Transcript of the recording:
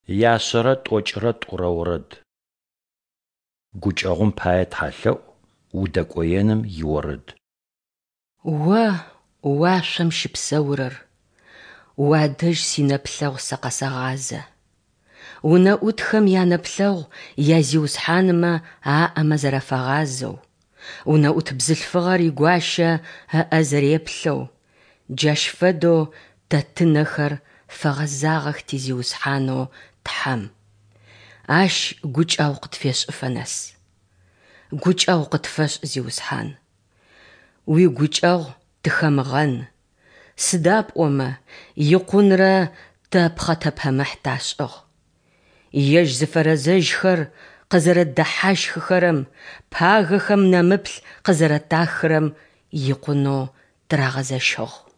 Яшъэрэ тӏокӏырэ тӏурэ орэд. Гукӏэгъум пае тхьэлъэӏу, удэкӏоеным иорэд. О, уашъом щыпсэурэр, Уадэжь синэплъэгъу сэ къэсэгъазэ. Унэӏутхэм янэплъэгъу язиусхьанмэ аӏэмэ зэрафагъазэу, унэӏут бзылъфыгъэр игуащэ ыӏэ зэреплъэу, джащ фэдэу тэ тынэхэр фэгъэзагъэх ти Зиусхьанэу Тхьэм, Ащ гукӏэгъу къытфешӏыфэ нэс. Гукӏэгъу къытфэшӏ, Зиусхьан! Уигукӏэгъу тыхэмыгъэн, сыда пӏомэ икъунрэ тэ пхъэтэпэмыхь ташӏыгъ. Ежь зыфэрэзэжьхэр къызэрэддэхьащхыхэрэм, пагэхэм нэмыплъ къызэрэтахырэм икъунэу тырагъэзэщыгъ.